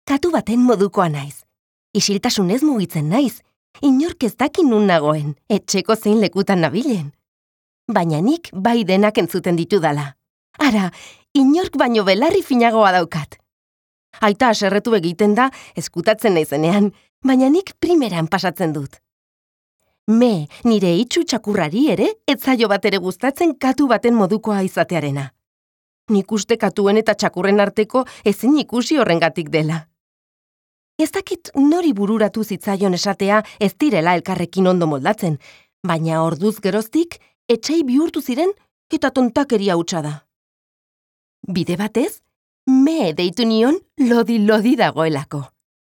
katu baten modukoa naiz. Isiltasunez mugitzen naiz, inork ez dakin nun nagoen, etxeko zein lekutan nabilen. Baina nik bai denak entzuten ditudala. Ara, inork baino belarri finagoa daukat. Aita haserretu egiten da, ezkutatzen naizenean, baina nik primeran pasatzen dut. Nire itxu txakurrari ere, ez zaio bat ere gustatzen katu baten modukoa izatearena. Nik uste katuen eta txakurren arteko ezin ikusi horrengatik dela. Ez dakit nori bururatu zitzaion esatea ez direla elkarrekin ondo moldatzen, baina orduz geroztik, etsai bihurtu ziren eta tontakeria hutsa da. Bide batez, deitu nion lodi dagoelako.